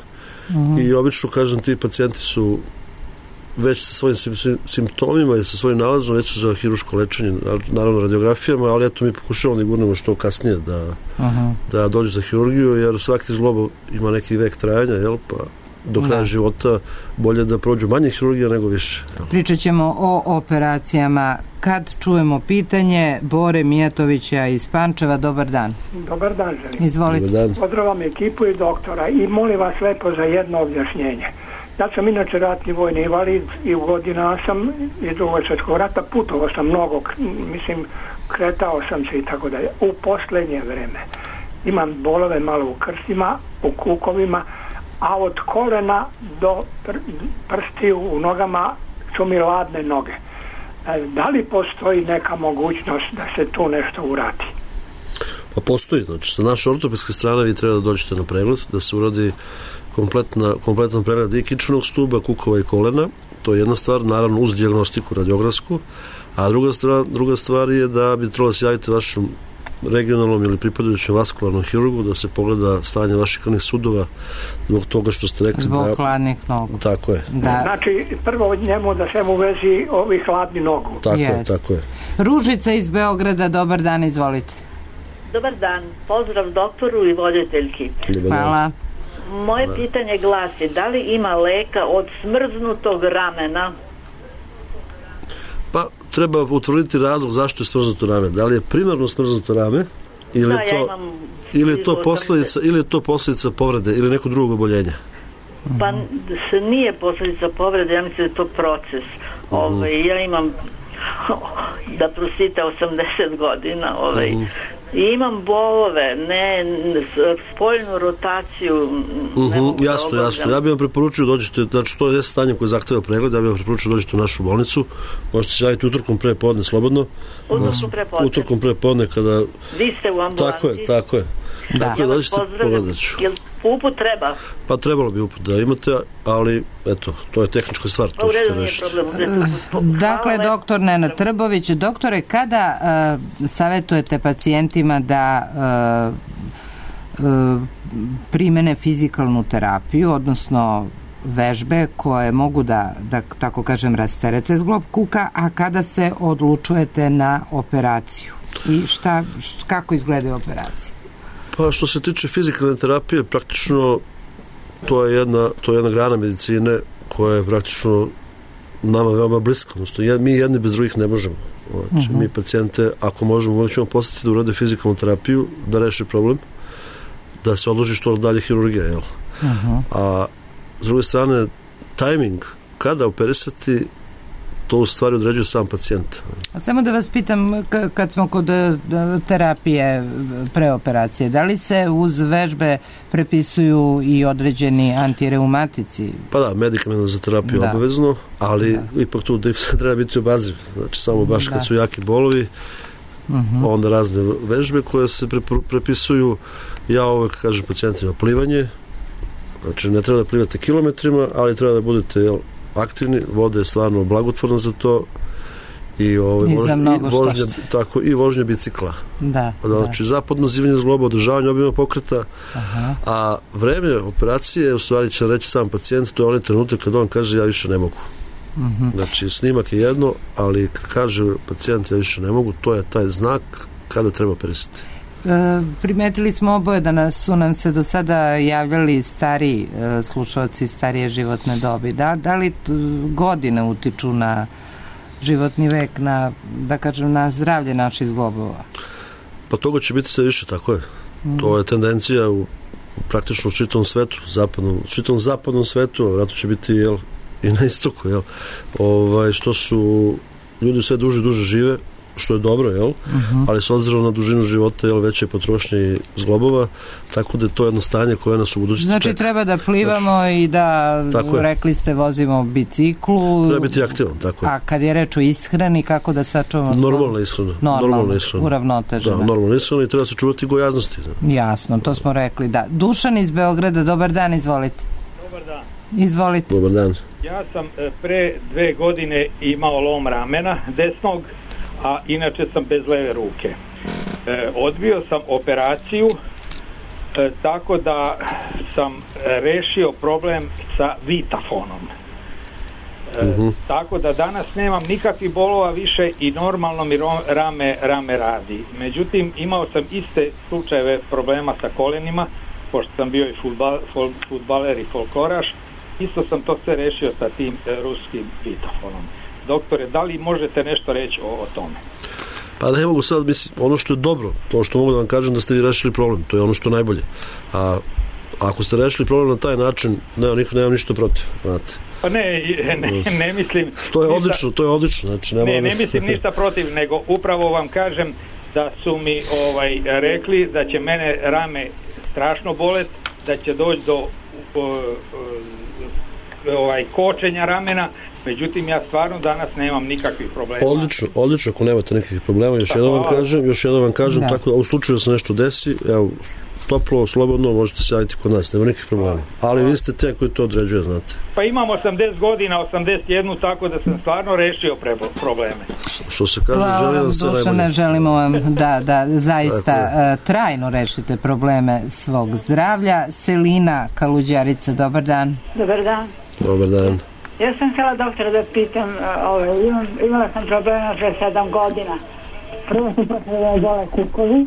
Uh-huh. I obično, kažem, ti pacijenti su već sa svojim sim, sim, simptomima i sa svojim nalazom već su za hiruško lečenje, naravno radiografijama, ali eto mi pokušavamo da gurnemo što kasnije da, uh-huh. da dođe za hirurgiju, jer svaki zglob ima neki vek trajanja, jel, pa do kraja da. života bolje da prođu manje hirurgija nego više. Jel. Pričat ćemo o operacijama kad čujemo pitanje Bore Mijatovića iz Pančeva. Dobar dan. Dobar dan, želim. Izvolite. Dobar dan. Pozdravam ekipu i doktora i molim vas lepo za jedno objašnjenje. Ja sam inače ratni vojni invalid i u godina sam iz Drugog svjetskog rata, putovao sam mnogo, mislim, kretao sam se i tako dalje. U posljednje vreme imam bolove malo u krstima, u kukovima, a od kolena do pr- prstiju u nogama su mi ladne noge. Da li postoji neka mogućnost da se tu nešto uradi? Pa postoji, znači sa naše ortopedske strane vi treba da dođete na pregled, da se uradi kompletna, kompletan pregled i kičmenog stuba, kukova i kolena. To je jedna stvar, naravno uz dijagnostiku radiografsku, a druga stvar, druga stvar je da bi trebalo da se javite vašem regionalnom ili pripadajućem vaskularnom hirurgu da se pogleda stanje vaših krvnih sudova zbog toga što ste rekli zbog da... hladnih nogu. Tako je. Da. Znači, prvo od njemu da se mu vezi ovih hladnih nogu. Tako yes. je, tako je. Ružica iz Beograda, dobar dan, izvolite. Dobar dan, pozdrav doktoru i voditeljki. Hvala. Moje da. pitanje glasi, da li ima leka od smrznutog ramena? Pa, treba utvrditi razlog zašto je smrznuto rame. Da li je primarno smrznuto rame ili, da, je, to, ja imam ili je to posljedica ili je to posljedica povrede ili nekog drugog oboljenja? Pa se nije posljedica povrede, ja mislim da je to proces. Uh-huh. Ovaj, ja imam da prostite osamdeset godina ovaj, uh-huh. i imam bolove, ne, spoljnu rotaciju. Uh-huh, jasno, jasno. Ja bih vam preporučio dođete, znači to je stanje koje zahteva pregled, ja bih vam preporučio dođete u našu bolnicu, možete se javiti utorkom pre podne slobodno. Utorkom pre podne. Utorkom pre podne kada... Vi ste u ambulanti. Tako je, tako je. Da. Tako je, dođete, pogledat ću. Jel uput treba? Pa trebalo bi uput da imate, ali eto, to je tehnička stvar. Pa u redu nije problem. Dakle, doktor Nenad Trbović, doktore, kada uh, savjetujete pacijentima da uh, uh, primene fizikalnu terapiju, odnosno vežbe koje mogu da, da tako kažem, rasterete zglob kuka, a kada se odlučujete na operaciju? I šta, š, kako izgledaju operacije? Pa što se tiče fizikalne terapije, praktično to je jedna, to je jedna grana medicine koja je praktično nama veoma bliska. Odnosno, mi jedni bez drugih ne možemo. Znači, uh-huh. mi pacijente, ako možemo, uvijek ćemo postaviti da urade fizikalnu terapiju, da reši problem, da se odloži što dalje hirurgija. Jel? Uh-huh. A s druge strane, tajming, kada operisati, to u stvari određuje sam pacijent. A samo da vas pitam, k- kad smo kod terapije preoperacije, da li se uz vežbe prepisuju i određeni antireumatici? Pa da, medikament za terapiju da. obavezno, ali da. ipak tu treba biti obazriv. Znači, samo baš da. kad su jaki bolovi, uh-huh. onda razne vežbe koje se prepisuju. Ja uvek kažem pacijentima plivanje, znači ne treba da plivate kilometrima, ali treba da budete jel, aktivni, voda je stvarno blagotvorna za to i, ovaj, I za mnogo i vožnja, tako, i vožnja bicikla. Da, znači da. zapadno zivanje zgloba, održavanje obima pokreta, aha. a vreme operacije u stvari će reći sam pacijent, to je onaj trenutak kad on kaže ja više ne mogu. Uh-huh. Znači snimak je jedno, ali kad kaže pacijent ja više ne mogu, to je taj znak kada treba operisati. E, primetili smo oboje da nas, su nam se do sada javljali stari e, slušalci starije životne dobi. Da, da li t, godine utiču na životni vek, na, da kažem, na zdravlje naših zglobova? Pa toga će biti sve više, tako je. Mm. To je tendencija u, u praktično u čitavom svetu, zapadnom, u čitavom zapadnom svetu, vratno će biti jel, i na istoku, jel, ovaj, što su ljudi sve duže duže žive, što je dobro, jel, uh-huh. ali s obzirom na dužinu života, jel, veće potrošnje zglobova, tako da je to jedno stanje koje nas u budućnosti znači čeka. Treba da plivamo znači, i da, rekli ste, vozimo biciklu. Treba biti aktivan, tako je. A kad je reč o ishrani, kako da sačuvamo? Normalna ishrana. Normalna ishrana. Uravnotežena. Da, normalna ishrana i treba se čuvati gojaznosti. Da. Jasno, to smo rekli, da. Dušan iz Beograda, dobar dan, izvolite. Dobar dan. Izvolite. Dobar dan. Ja sam pre dve godine imao lom ramena desnog, a inače sam bez leve ruke. E, odbio sam operaciju e, tako da sam rešio problem sa Vitafonom. E, uh-huh. Tako da danas nemam nikakvih bolova više i normalno mi rame, rame radi. Međutim, imao sam iste slučajeve problema sa kolenima, pošto sam bio i futbal, futbaler i folkloraš. Isto sam to sve rešio sa tim e, ruskim Vitafonom. Doktore, da li možete nešto reći o, o tome? Pa ne mogu sad, mislim, ono što je dobro, to što mogu da vam kažem da ste vi rešili problem, to je ono što je najbolje. A ako ste rešili problem na taj način, nema, niko, nema ništa protiv, znate. Pa ne, ne, ne mislim... To je odlično, to je odlično. Znači, ne, ne mislim ništa protiv, nego upravo vam kažem da su mi ovaj, rekli da će mene rame strašno bolet, da će doći do uh, uh, ovaj, kočenja ramena. Međutim, ja stvarno danas nemam nikakvih problema. Odlično, odlično, ako nemate nekakvih problema, još jednom vam kažem, još jednom vam kažem, da. Tako da u slučaju da se nešto desi, evo, toplo, slobodno, možete se javiti kod nas, nema nikakvih problema. Ali vi ste te koji to određuje, znate. Pa imam osamdeset godina, osamdeset jedan, tako da sam stvarno rešio probleme. Što se kaže, hvala želim vam se najbolje. Dušane, želimo vam da, da zaista uh, trajno rešite probleme svog zdravlja. Selina Kaluđarica, dobar dan. Dobar dan. Dobar dan. Ja sam htjela doktora da pitam, ovaj, imam, imala sam problema pre sedam godina. Prvo su počeli dole kukovi,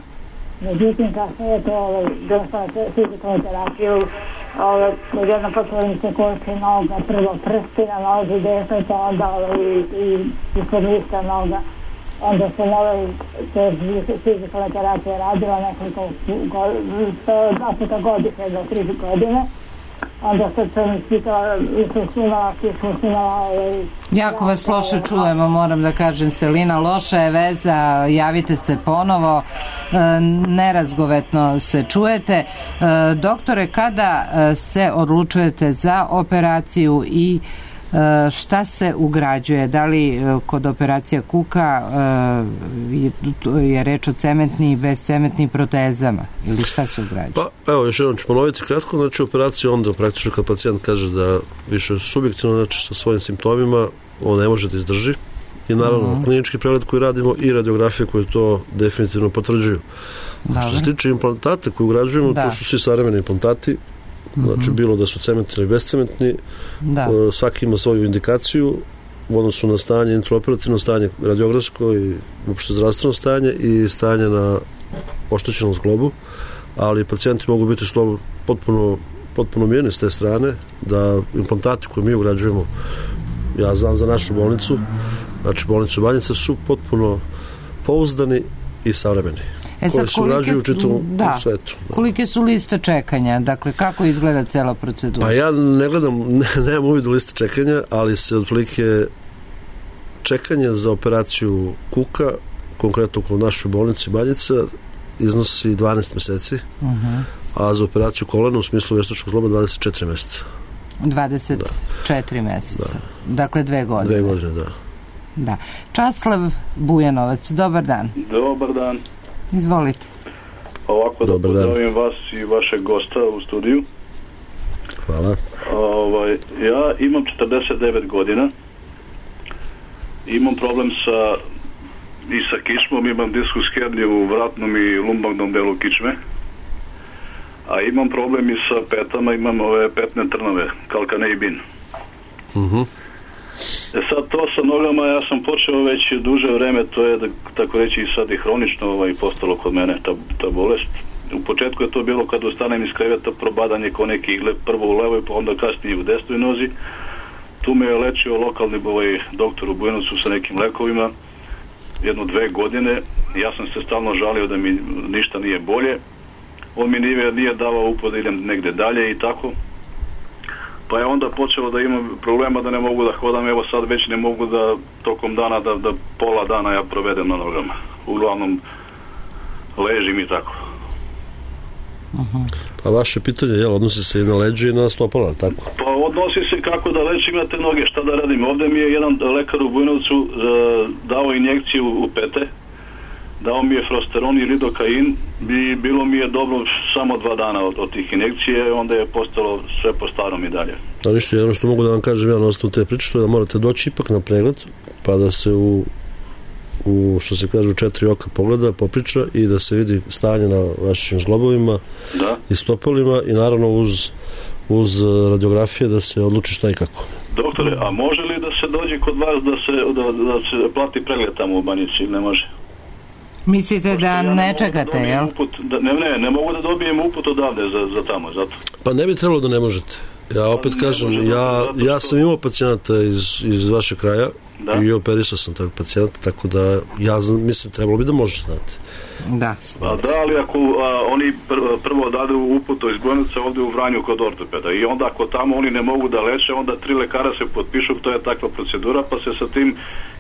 međutim kasnije je to ovaj, dosta fizikalnu terapiju, ovaj, jedno počeli se kosti noga, prvo prsti na nozi desnoj, pa onda ovaj, i, i ispod lista noga. Onda sam ovaj, te fizikalne terapije radila nekoliko dva puta godišnje do tri godine. Onda sad sam ispitala i sam snimala, i sam snimala... Jako vas loše čujemo, moram da kažem, Selina, loša je veza, javite se ponovo, nerazgovetno se čujete. Doktore, kada se odlučujete za operaciju i šta se ugrađuje? Da li kod operacija kuka je reč o cementnim i bezcementnim protezama ili šta se ugrađuje? Pa evo, još jednom ću ponoviti kratko, znači operacija onda praktično kad pacijent kaže da više subjektivno, znači sa svojim simptomima on ne može da izdrži i naravno mm-hmm. klinički pregled koji radimo i radiografije koje to definitivno potvrđuju. A što se tiče implantata koje ugrađujemo, da. To su svi savremeni implantati. Znači, mm-hmm. bilo da su cementni ili bezcementni, da. Svaki ima svoju indikaciju u odnosu na stanje, intraoperativno stanje radiografsko i uopšte zdravstveno stanje i stanje na oštećenom zglobu, ali pacijenti mogu biti slobo, potpuno, potpuno mirni s te strane, da implantati koje mi ugrađujemo, ja znam za našu bolnicu, znači bolnicu Banjica, su potpuno pouzdani i savremeni. E sad, kolike, da, svetu, da. kolike su liste čekanja? Dakle, kako izgleda cela procedura? Pa ja ne gledam, ne, nemam uvid u liste čekanja, ali se otprilike čekanje za operaciju kuka, konkretno kod našoj bolnici Banjica, iznosi dvanaest meseci, uh-huh. a za operaciju kolena u smislu veštačkog zgloba dvadeset četiri meseca. dvadeset četiri da. Meseca. Da. Dakle, dve godine. Dve godine, da. Da. Časlav Bujanovac, dobar dan. Dobar dan. Izvolite. Ovako dobar da pozdravim vas i vašeg gosta u studiju. Hvala. Ovaj, ja imam četrdeset devet godina. Imam problem sa i sa kičmom, imam diskus herniju u vratnom i lumbagnom delu kičme. A imam problem i sa petama, imam ove petne trnove, kalkaneibin. Mhm. E sad to sa nogama ja sam počeo već duže vreme, to je da, tako reći i sad i hronično ovaj, postalo kod mene ta, ta bolest. U početku je to bilo kad ustanem iz kreveta probadanje ko neki igle, prvo u levoj pa onda kasnije u desnoj nozi. Tu me je lečio lokalni ovaj, doktor u Bujanovcu sa nekim lekovima jedno dve godine. Ja sam se stalno žalio da mi ništa nije bolje. On mi nije, nije davao uput da idem negde dalje i tako. Pa je onda počelo da imam problema da ne mogu da hodam, evo sad već ne mogu da tokom dana, da, da pola dana ja provedem na nogama. Uglavnom ležim i tako. Uh-huh. Pa vaše pitanje, jel, odnosi se i na leđe i na stopala, tako? Pa odnosi se kako da lečim ja te noge, šta da radim. Ovde mi je jedan lekar u Bujanovcu uh, dao injekciju u pete, dao mi je frosteron i lidokain i bilo mi je dobro samo dva dana od, od tih injekcije, onda je postalo sve po starom i dalje. A ništa, jedno što mogu da vam kažem ja na osnovu te priče, što je da morate doći ipak na pregled, pa da se u, u što se kaže u četiri oka pogleda, popriča i da se vidi stanje na vašim zglobovima da. I stopalima i naravno uz, uz radiografije da se odluči šta i kako. Doktore, a može li da se dođe kod vas da se, da, da se plati pregled tamo u Banjici ili ne može? Mislite Pošto da ja ne, ne čekate, da jel? Uput, da, ne, ne, ne mogu da dobijem uput odavde za, za tamo, zato. Pa ne bi trebalo da ne možete. Ja opet pa kažem, može, ja, zato ja sam imao pacijenata iz, iz vašeg kraja da. I operisao sam tog pacijenta, tako da ja znam, mislim, trebalo bi da može, znate. Da. A da, ali ako a, oni pr, prvo dadu uputu iz Bujanovca ovde u Vranju kod ortopeda i onda ako tamo oni ne mogu da leče, onda tri lekara se potpišu, to je takva procedura, pa se sa tim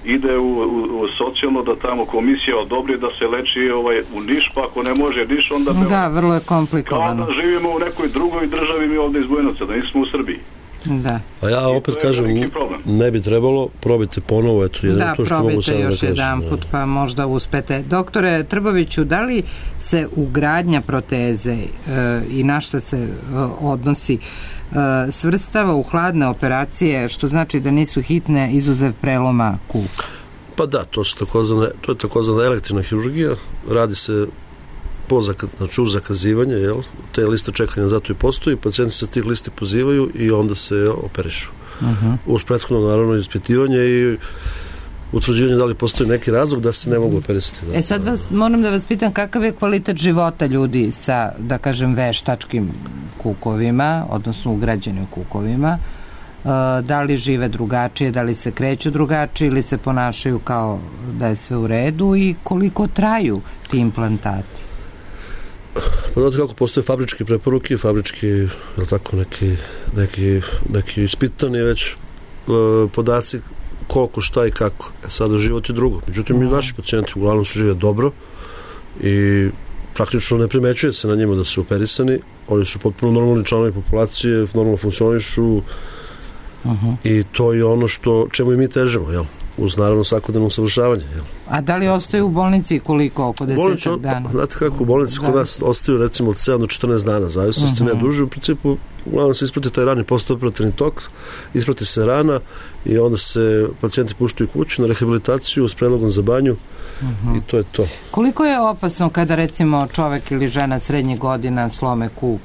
ide u, u, u socijalno da tamo komisija odobri da se leči ovaj, u Niš, pa ako ne može Niš, onda... Da, vrlo je komplikovano. Kao da živimo u nekoj drugoj državi mi ovde iz Bujanovca, da nismo u Srbiji. Da. A ja opet kažem, ne bi trebalo, probajte ponovo, eto, jedno da, to što mogu sada da kažem. Da, probajte još jedan put, pa možda uspete. Doktore Trboviću, da li se ugradnja proteze e, i na šta se e, odnosi e, svrstava u hladne operacije, što znači da nisu hitne izuzev preloma kuka? Pa da, to, su takozvane, to je takozvana elektivna hirurgija, radi se po zaka, znači uz zakazivanje, jel? Te liste čekanja zato i postoji, pacijenti se tih listi pozivaju i onda se jel, operišu. Uh-huh. Uz prethodno naravno ispitivanje i utvrđivanje da li postoji neki razlog da se ne mogu operisati. Da. E sad vas, moram da vas pitam kakav je kvalitet života ljudi sa, da kažem, veštačkim kukovima, odnosno ugrađenim kukovima, uh, da li žive drugačije, da li se kreću drugačije ili se ponašaju kao da je sve u redu i koliko traju ti implantati? Pa znate kako postoje fabrički preporuke, fabrički, je tako, neki, neki, neki ispitani već e, podaci koliko, šta i kako. E sada život je drugo. Međutim, mi naši pacijenti uglavnom su žive dobro i praktično ne primećuje se na njima da su operisani. Oni su potpuno normalni članovi populacije, normalno funkcionišu uh-huh. I to je ono što, čemu i mi težimo, jel? Uz naravno svakodnevno usavršavanje. Jel? A da li ostaju u bolnici koliko? Oko desetak dana? Znate kako, u bolnici da. Kod nas ostaju recimo od sedam do četrnaest dana, zavisnosti uh-huh. ne duže. U principu, uglavnom se isprati taj rani postoperativni tok, isprati se rana i onda se pacijenti puštaju kući na rehabilitaciju s predlogom za banju uh-huh. i to je to. Koliko je opasno kada recimo čovek ili žena srednjih godina slome kuk?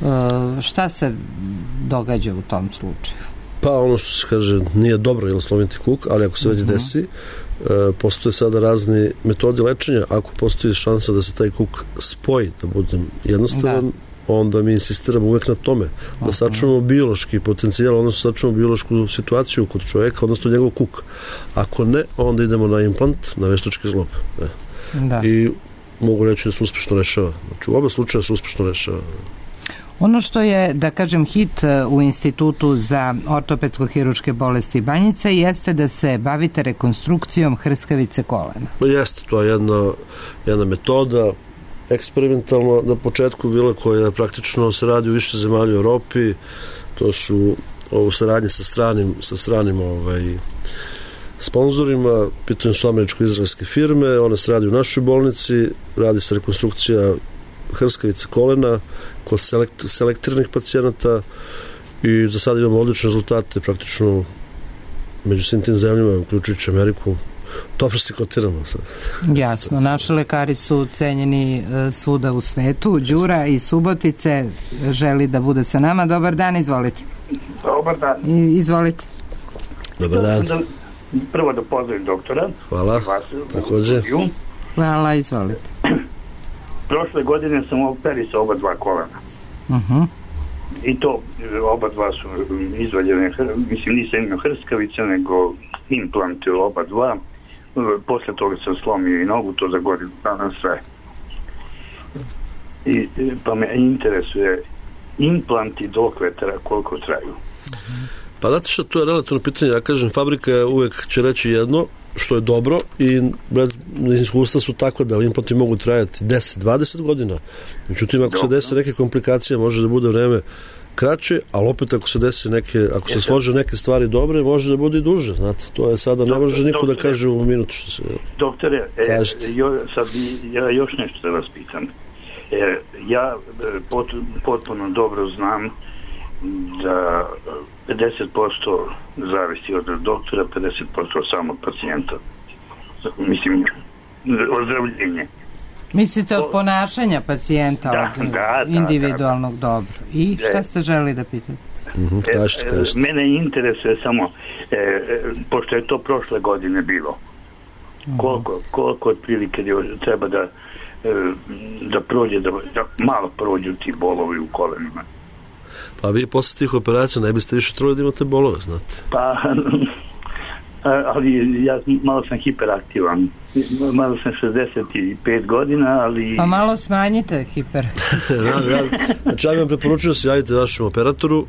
E, šta se događa u tom slučaju? Pa ono što se kaže nije dobro jel slomiti kuk, ali ako se već desi e, postoje sada razni metodi lečenja, ako postoji šansa da se taj kuk spoji, da budem jednostavan, da. Onda mi insistiramo uvek na tome da sačuvamo biološki potencijal, odnosno sačuvamo biološku situaciju kod čoveka, odnosno njegov kuk. Ako ne, onda idemo na implant, na veštački zglob. Ne. Da. I mogu reći da se uspešno rešava. Znači u oba slučaja se uspešno rešava. Ono što je, da kažem, hit u Institutu za ortopedsko-hiruške bolesti Banjica jeste da se bavite rekonstrukcijom hrskavice kolena. Jeste, to je jedna, jedna metoda eksperimentalno na početku bila koja praktično se radi u više zemalja u Europi. To su ovo saradnje sa stranim, sa stranim ovaj, sponzorima, pitanje su američko-izraelske firme, one se radi u našoj bolnici, radi se rekonstrukcija hrskavice kolena kod selekt, selektiranih pacijenata i za sada imamo odlične rezultate praktično među svim tim zemljama, uključujući Ameriku. Dobro se kotiramo sad. Jasno, naši lekari su cenjeni svuda u svetu. Đura iz Subotice želi da bude sa nama. Dobar dan, izvolite. Dobar dan. I, izvolite. Dobar dan. Da, prvo da pozdravim doktora. Hvala, također. Hvala, izvolite. Prošle godine sam operisao oba dva kolena. Uh-huh. I to oba dva su izvaljene, mislim nisam imao hrskavice, nego implante oba dva. Posle toga sam slomio i nogu, to za godinu dana sve. I, pa me interesuje implanti dokle tra, koliko traju. Pa znate što, to je relativno pitanje. Ja kažem, fabrika uvek će reći jedno što je dobro i iskustva su tako da implanti mogu trajati deset do dvadeset godina. Međutim, ako se desi neke komplikacije, može da bude vreme kraće, ali opet ako se desi neke, ako se slože neke stvari dobre, može da bude i duže, znate. To je sada, ne može niko da kaže u minutu što se doktore, e, jo, sad ja još nešto da vas pitam. E, ja pot, potpuno dobro znam da pedeset posto zavisi od doktora, pedeset posto od samog pacijenta. Mislim, ozdravljenje. Mislite od ponašanja pacijenta, da, od da, individualnog da, da. dobro. I šta ste želi da pitate? Mm-hmm, kažete, kažete. E, mene interesuje samo, e, pošto je to prošle godine bilo, mm-hmm. koliko, koliko otprilike treba da, da prođe, da, da malo prođu ti bolovi u kolenima. Pa vi posle tih operacija ne biste više trebali da imate bolove, znate. Pa, ali ja malo sam hiperaktivan. Malo sam šezdeset pet godina, ali... Pa malo smanjite hiper. ja, ja, znači, ja vam preporučujem da se javite vašem operatoru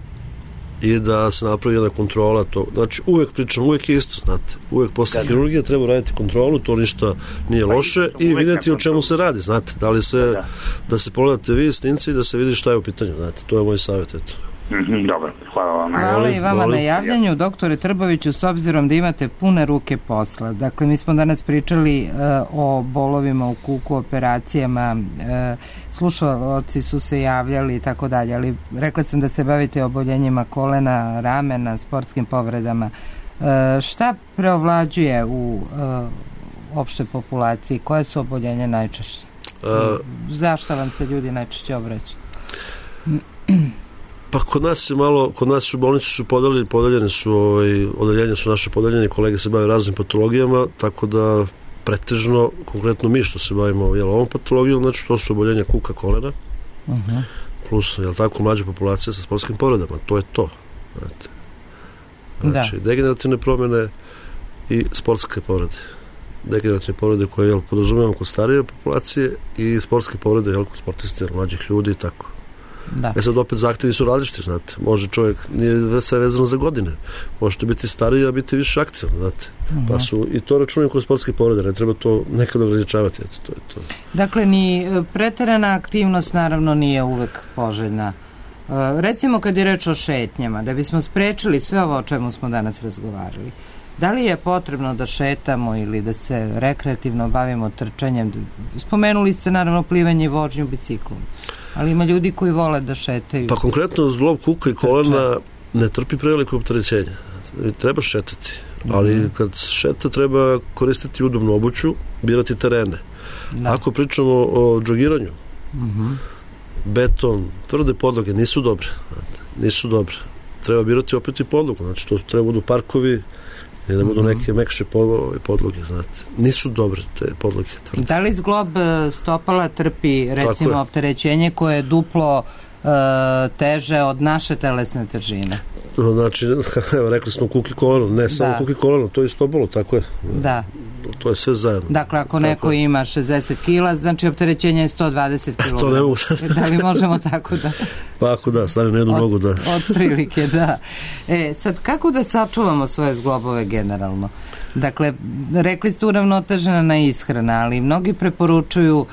i da se napravi jedna kontrola. To. Znači, uvek pričam, uvek je isto, znate. Uvek posle da, hirurgije treba raditi kontrolu, to ništa nije pa loše i vidjeti o čemu se radi, znate. Da li se, da, da se pogledate vi snimci i da se vidi šta je u pitanju, znate. To je moj savjet, eto. Mm-hmm, dobro, hvala vam. Hvala i vama na javljanju, doktore Trboviću, s obzirom da imate pune ruke posla. Dakle, mi smo danas pričali uh, o bolovima u kuku, operacijama, uh, slušalci su se javljali i tako dalje, ali rekla sam da se bavite oboljenjima kolena, ramena, sportskim povredama. Uh, šta preovlađuje u uh, opštoj populaciji? Koje su oboljenje najčešće? Uh, Zašto vam se ljudi najčešće obraćaju? Pa kod nas je malo, kod nas u bolnici su podeljeni, podeljene su, ovaj, odeljenja su naše podeljene, kolege se bave raznim patologijama, tako da pretežno, konkretno mi što se bavimo jel, ovom patologijom, znači to su oboljenja kuka, kolena, uh-huh. plus, jel tako, mlađa populacija sa sportskim povredama, to je to. Znate. Znači, da. Degenerativne promjene i sportske povrede. Degenerativne povrede koje, jel, podrazumijemo kod starije populacije i sportske povrede, jel, kod sportiste, jel, mlađih ljudi i tako. Da. E sad opet zahtjevi su različiti, znate. Može čovjek, nije sve vezano za godine. Možete biti stariji, a biti više aktivan, znate. Uh-huh. Pa su, i to računaju kod sportske povrede, ne treba to nekad ograničavati, eto, to je to. Dakle, ni preterana aktivnost naravno nije uvek poželjna. Uh, recimo kad je reč o šetnjama, da bismo sprečili sve ovo o čemu smo danas razgovarali, da li je potrebno da šetamo ili da se rekreativno bavimo trčanjem? Spomenuli ste naravno plivanje i vožnju biciklom. Ali ima ljudi koji vole da šetaju. Pa konkretno zglob kuka i kolena ne trpi preveliko opterećenje. Treba šetati, ali mm-hmm. kad šeta treba koristiti udobnu obuću, birati terene. Da. Ako pričamo o džogiranju, mm-hmm. beton, tvrde podloge nisu dobre. Nisu dobre. Treba birati opet i podlogu. Znači to treba budu parkovi i da budu neke mekše podloge, znate. Nisu dobre te podloge. Tvrde. Da li zglob stopala trpi, recimo, opterećenje koje je duplo uh, teže od naše telesne težine? Znači, evo, rekli smo kuki koleno, ne samo da. kuki koleno, to je stopalo, tako je. Da. To je sve zajedno. Dakle, ako tako neko je. ima šezdeset kila, znači opterećenje je sto dvadeset kilograma. To ne mogu sad. Da li možemo tako da... Pa ako da, stavim na jednu od, nogu, da. Od prilike, da. E, sad, kako da sačuvamo svoje zglobove generalno? Dakle, rekli ste uravnotežena ishrana, ali mnogi preporučuju uh,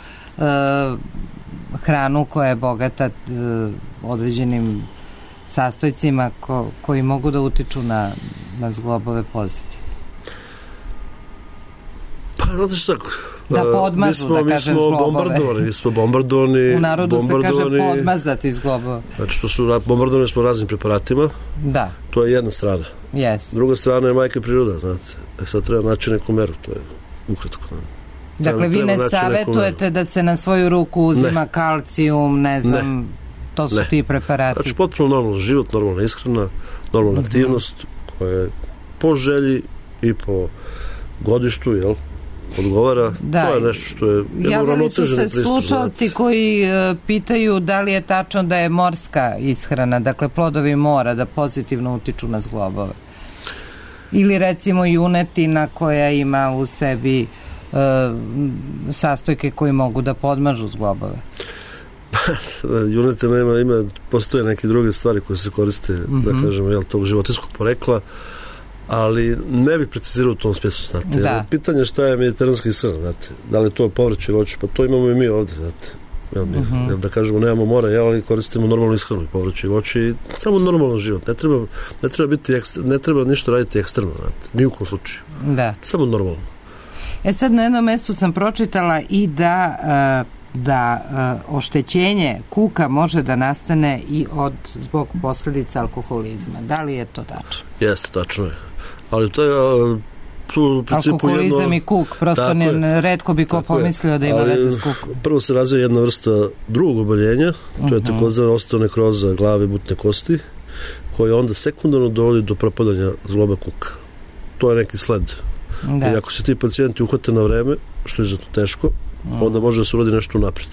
hranu koja je bogata uh, određenim sastojcima ko, koji mogu da utiču na, na zglobove pozitivno. znate šta, da podmažu, smo, da kažem, mi smo zglobove. Bombardovani, mi smo bombardovani. U narodu bombardovani, se kaže podmazati zglobove. Znači, to su, bombardovani smo raznim preparatima. Da. To je jedna strana. Yes. Druga strana je majka priroda, znate. E sad treba naći neku meru, to je ukratko. Dakle, treba, vi ne savjetujete da se na svoju ruku uzima ne. kalcijum, ne znam, ne. to su ne. ti preparati. Znači, potpuno normalno život, normalna ishrana, normalna mm-hmm. aktivnost koja je po želji i po godištu, jel? Odgovara, da. To je nešto što je javili su se slušalci koji uh, pitaju da li je tačno da je morska ishrana, dakle plodovi mora, da pozitivno utiču na zglobove. Ili recimo junetina koja ima u sebi uh, sastojke koji mogu da podmažu zglobove. Junetina ima, ima, postoje neke druge stvari koje se koriste, mm-hmm. da kažemo, jel, tog životinjskog porekla, ali ne bih precizirao u tom smislu, znate. Da. Pitanje šta je mediteranska ishrana, znate. Da li je to povrće i voće, pa to imamo i mi ovde, znate. Jel, mi, uh-huh. jel, da kažemo, nemamo mora, jel, ali koristimo normalnu ishranu, povrće i voće i samo normalan život. Ne treba, ne treba biti ekstra, ne treba ništa raditi ekstremno, znate. Ni u kom slučaju. Da. Samo normalno. E sad na jednom mestu sam pročitala i da uh, da uh, oštećenje kuka može da nastane i od zbog posljedica alkoholizma. Da li je to tačno? Jeste, tačno je. Ali to je tu u principu alkoholizam jedno, i kuk, prosto ne, retko bi ko pomislio da ima veze s kukom. Prvo se razvija jedna vrsta drugog oboljenja, to uh-huh. je takozvana osteonekroza glave butne kosti, koja onda sekundarno dovodi do propadanja zgloba kuka. To je neki sled. Da. I ako se ti pacijenti uhvate na vreme, što je zato teško, uh-huh. onda može da se urodi nešto napred.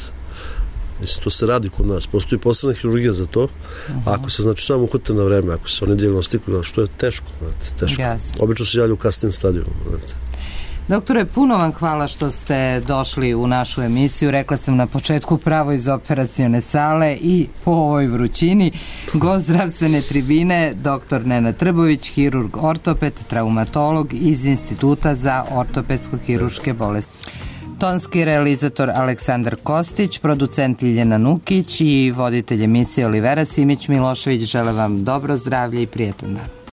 Mislim, to se radi kod nas. Postoji posebna hirurgija za to. Uh-huh. A ako se, znači, samo uhvate na vreme, ako se oni dijagnostikuju, što je teško, znate, teško. Jasne. Obično se javlja u kasnim stadiju, znate. Doktore, puno vam hvala što ste došli u našu emisiju. Rekla sam na početku pravo iz operacione sale i po ovoj vrućini. Gost zdravstvene tribine, doktor Nenad Trbović, hirurg ortoped, traumatolog iz Instituta za ortopedsko-hiruške bolesti. Tonski realizator Aleksandar Kostić, producent Ljiljana Nukić i voditelj emisije Olivera Simić Milošević žele vam dobro zdravlje i prijetan dan.